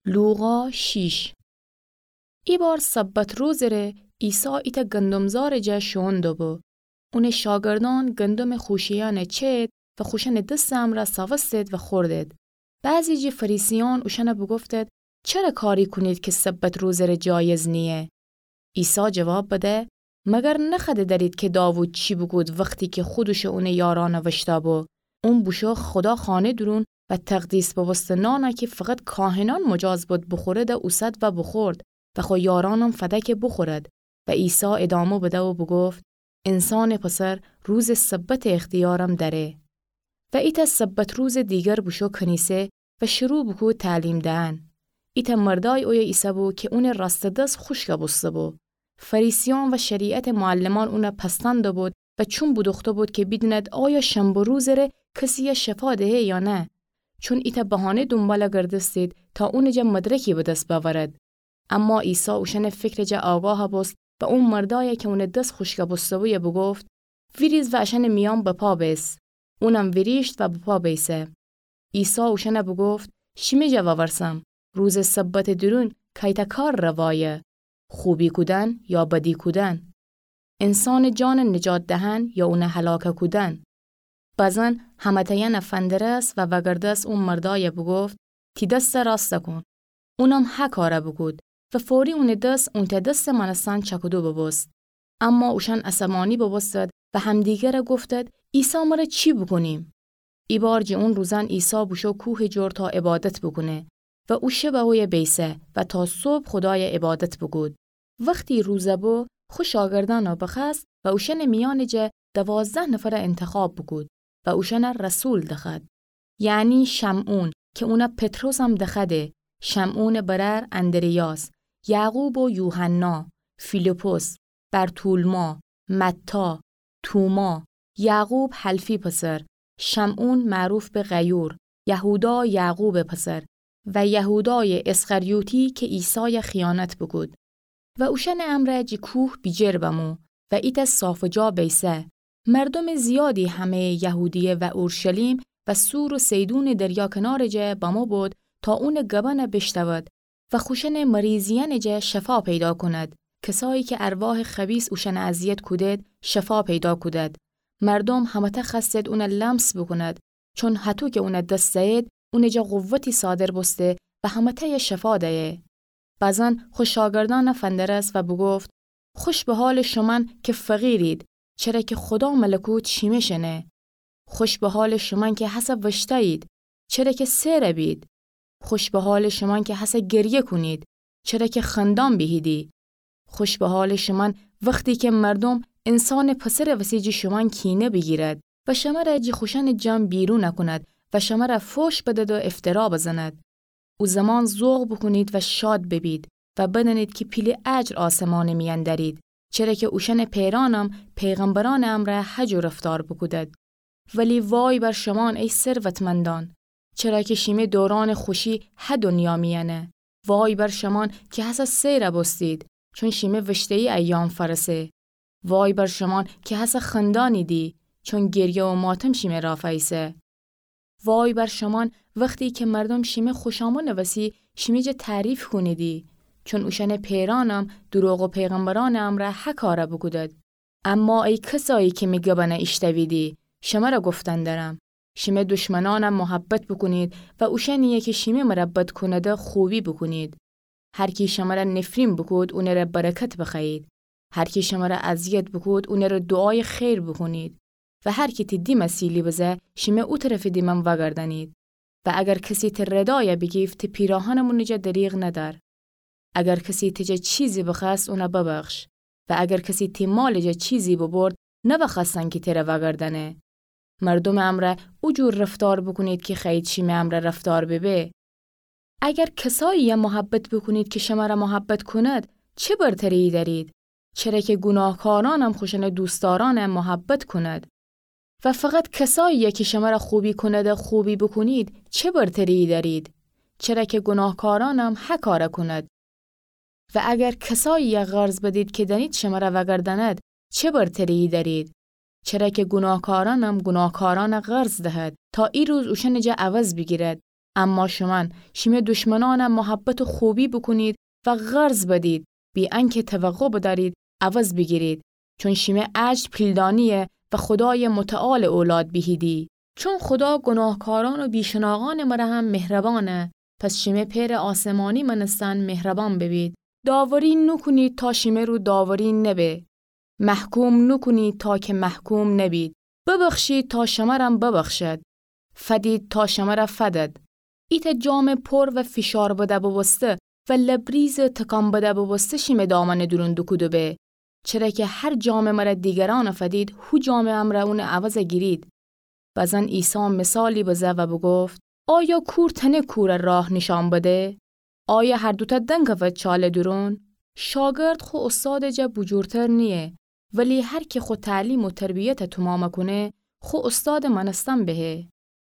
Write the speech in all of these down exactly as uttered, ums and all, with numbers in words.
لوقا شیش. ایبار سبت روزٚ ره عیسی ایتأ گندم‌زارٚ جا شوئون دوبو. اونٚ شاگردأن گندمٚ خوشه‌یأنَ چئید و خوشأنٚ دسٚ امرأ ساوستید و خوردید. بعضی جٚه فریسیأن اوشأنَ بوگفتید: چره کاری کونید کی سبت روزٚ ره جایز نییه؟ عیسی جواب بده: مگر نخوأده دأرید کی داوود چی بوکود وختی کی خودش و اونٚ یارأنَ وشتأ بو؟ اون بوشو خودا خانه دورون و تقدیس بوبوسته نانَ کی فقط کاهنأن مجاز بود بوخورده اوسد و بوخورد و خو یارأنم فده کی بوخورد. و عیسی ادامه بده و بوگفت: انسانٚ پسر روزٚ سبتٚ اختیارم دأره. و ایتأ سبت روزٚ دیگر بوشو کنیسه و شروع بوکود تعلیم دئن. ایتأ مردأی اویه ایسه‌بو کی اونٚ راستٚ دس خوشکَ بوسته‌بو. فریسیأن و شریعتٚ معلمأن اونَ پستأن دوبود و چوم بودوخته بود کی بیدیند آیا شنبه روزٚ ره کسیَ شفا دهه یا نه. چون ایتأ بهانه دونبالَ گردستید تا اونٚ جا مدرکی به دس بأورد. اما عیسی اوشأنٚ فکرٚ جا آگاه بوست و او مردأیَ کی اونٚ دس خوشکَ بوسته‌بویه بوگفت: ویریز و اشأنٚ میأن بپا بیس. اونم ویریشت و بپا بیسه. عیسی اوشأنَ بوگفت: شیمی جا وورسم، روزٚ سبتٚ دورون کایتأ کار روایه، خوبی کودن یا بدی کودن؟ انسانٚ جانَ نجات دهن یا اونَ هلاکَ کودن؟ بزن همه‌تأیأنَ فندرست و وگردست او مردأیَ بوگفت: تی دستَ راستَ کون. اونم هه کارَ بوکود و فوری اونٚ دس اونتأ دستٚ مأنستن چأکودو بوبوست. اما اوشأن عصبانی بوبوستد و همدیگرَ گفتد: عیسی، مره چی بوکونیم؟ ایبار جٚه اون روزأن عیسی بوشو کوهٚ جور تا عبادت بوکونه و او شبَ اویه بیسه و تا صبح خودایَ عبادت بوکود. وختی روزَ بو، خو شاگردأنَ بخوأست و اوشأنٚ میأنٚ جا دوازده نفرَ انتخاب بوکود و اوشأنَ رسول دخوأد. یعنی شمعون کی اونَ پطرسم دخوأده، شمعونٚ برأر اندریاس، یعقوب و یوحنا، فیلیپس، برتولما، متی، توما، یعقوب حلفی پسر، شمعون معروف به غیور، یهودا یعقوبٚ پسر و یهودایٚ اسخریوطی کی عیسایَ خیانت بوکود. و اوشأنٚ امرأ جٚه کوه بیجیر بمو و ایتأ صافٚ جا بیسه. مردومٚ زیادی همه‌یٚ یهودیه و اورشلیم و صور و صیدونٚ دریا کنارٚ جا بمو بود تا اونٚ گبأنَ بیشنود و خوشأنٚ مریضیأنٚ جا شفا پیدا کند. کسایی کی ارواحٚ خبیث اوشأنَ اذیت کودید، شفا پیدا کودید. مردوم همه‌تأ خوأستید اونَ لمس بوکوند، چون هطو کی اونَ دس زأیید، اونٚ جا قوتی صادر بوسته و همه‌تأیَ شفا دأیه. بزن خو شاگردأنَ فندرست و بوگفت: خوش به حالٚ شومأن کی فقیرید، چره کی خودا ملکوت شیمه شنه. خوش به حالٚ شومأن کی هسه وشتأیید، چره کی سئرَ بید. خوش به حالٚ شومأن کی هسه گریه کونید، چره کی خندان بیهیدی. خوش به حالٚ شومأن وختی کی مردوم انسانٚ پسرٚ وسی جٚه شومأن کینه بیگیرد و شمره جٚه خوشأنٚ جمع بیرون کند و شمره فوش بدد و افترا بزند. او زمان ذوق بوکونید و شاد ببید و بدأنید کی پیلٚ اجر آسمانٚ میأن دأرید، چره کی اوشأنٚ پئرأنم پیغمبرأنٚ امرأ هجو رفتار بوکودد. ولی وای بر شومأن ای ثروتمندأن، چره کی شیمه دورأنٚ خوشی هه دنیا میأنه. وای بر شومأن کی هسه سئرَ بوستید، چون شیمه وشته‌یی ایام فأرسه. وای بر شومأن کی هسه خندانیدی، چون گریه و ماتم شیمه را فأیسه. وای بر شومأن وختی کی مردوم شیمه خوشامدٚ وسی شیمه جا تعریف کونیدی، چون اوشأنٚ پئرأنم دروغٚ پیغمبرأنٚ امرأ هه کارَ بوکودد. اما ای کسایی کی می گبأنَ ایشتأویدی، شمره گفتن دأرم، شیمه دشمنأنَ محبت بوکونید و اوشأنیی کی شیمه مره بد کونده خوبی بوکونید. هر کی شمره نفرین بوکود، اونٚره برکت بخوأیید. هر کی شمره اذیت بوکود، اونٚره دوعایٚ خیر بوکونید. و هر کی تی دیمَ سیلی بزه، شیمه او طرفٚ دیمم وأگردأنید. و اگر کسی تی ردایَ بیگیفت، تی پیراهنٚ مونٚ جا دریغ ندأر. اگر کسی تی جا چیزی بخوأست، اونَ ببخش. و اگر کسی تی مالٚ جا چیزی ببرد، نوأخوأستن کی تره وأگردأنه. مردومٚ امرأ او جور رفتار بوکونید کی خوأیید شیمه امرأ رفتار ببه. اگر کساییی محبت بوکونید کی شمره محبت کند، چه برتریی دأرید؟ چره کی گوناهکارأنم خوشأنٚ دوستدارأنَ محبت کند. و فقط کساییی کی شمره خوبی کند خوبی بوکونید، چه برتریی دأرید؟ چره کی گوناهکارأنم هه کارَ کند. و اگر کساییی قرض بدید کی دأنید شمره وأگردأند، چه برتریی دأرید؟ چره کی گوناهکارأنم گوناهکارأنَ قرض دهد، تا ایروز اوشأنٚ جا عوض بیگیرد، اما شومأن شیمه دشمنأن محبت و خوبی بوکونید و قرض بدید، بی‌انکه توقع بدأرید عوض بیگیرید، چون شیمه اجر پیلدانییه و خودایٚ متعالٚ اولاد بیهیدی. چون خودا گناهکارأن و بیشناغأنٚ مره هم مهربانه، پس شیمه پئرٚ آسمانی مأنستن مهربان ببید. داوری نوکونید تا شیمه رو داوری نبه. محکوم نوکونید تا که محکوم نبید. ببخشید تا شمرم ببخشد. فدید تا شمر فدد. ایتأ جامٚ پر و فشار بده بوبوسته و لبریزٚ تکان بده بوبوسته شیمه دامنٚ دورون دوکوده به. چره که هر جامٚ مر دیگرأن فدید، هو جامٚ امر اونٚ عوض گیرید. بزن عیسی مثالی بزه و بوگفت: آیا کور تأنه کور راه نیشأن بده؟ آیا هر دوتأ دنگ کفد چالٚ دورون؟ شاگرد خو استادٚ جا بوجورتر نییه، ولی هر کی خو تعلیم و تربیت تومام کونه، خو استادٚ مأنستن بهه.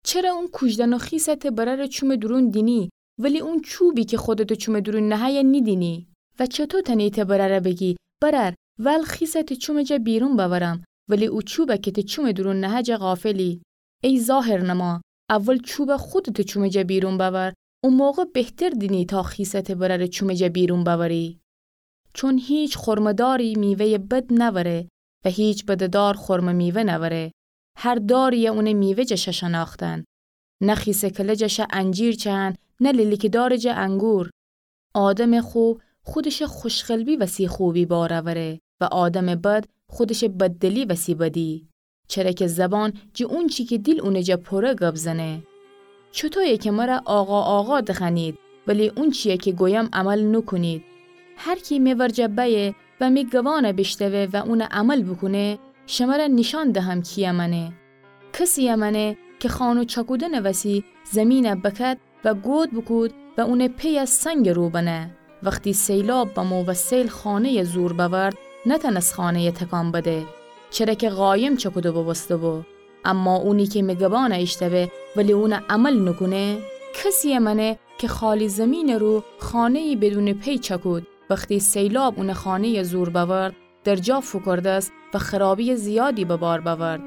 چره اون کوژدن و خیسه ته برأرٚ چومٚ دورون دینی، ولی اون چوبی که خودتٚ چومٚ دورون نهه نیدینی؟ و چطو تأنی ته برأر بگی: برأر، ول خیسه ته چومٚ جا بیرون بأورم، ولی او چوب که ته چومٚ دورون نهه جا غافلی؟ ای ظاهرنما، اول چوب خودتٚ چومٚ جا بیرون بأور، او موقع بهتر دینی تا خیسه ته برأرٚ چومٚ جا بیرون بأوری. چون هیچ خرمه‌داری میوه‌یٚ بد نأوره و هیچ بده‌دار خرمه میوه نأوره. هر داریی اونٚ میوه جا شه شنأختن. نه خیسه کله جا شه انجیر چهن، نه لیلیکه‌دارٚ جا انگور. آدمٚ خوب خودشٚ خوشقلبی وسی خوبی بار اوره و آدمٚ بد خودشٚ بددلی وسی بدی. چره که زبان جٚه اونچی که دیل اونٚ جا پوره گب زنه. چوطویه که مر آقا آقا دخوأنید، ولی اونچیی که گویم عمل نوکونید؟ هر کی می ورجه بأیه و می گبأن بیشتوه و اون عمل بوکونه، شمر نیشأن دهم کیی مأنه. کسیی مأنه که خانو چأکودنٚ وسی زیمین بکد و گود بوکود و اونٚ پیی سنگٚ رو بنه. وختی سیلاب بمو و سیل خانه‌یی زور بأورد، نتأنست خانه‌یی تکان بده، چره که قایم چأکوده بوبوسته‌بو. اما اونی که می گبأن ایشتوه ولی اون عمل نوکونه، کسیی مأنه که خالی زیمینٚ رو خانه‌یی بدونٚ پی چأکود. وختی سیلاب اونٚ خانه‌یی زور بأورد، در جا فوکردست و خرابییٚ زیادی به بار بأورد.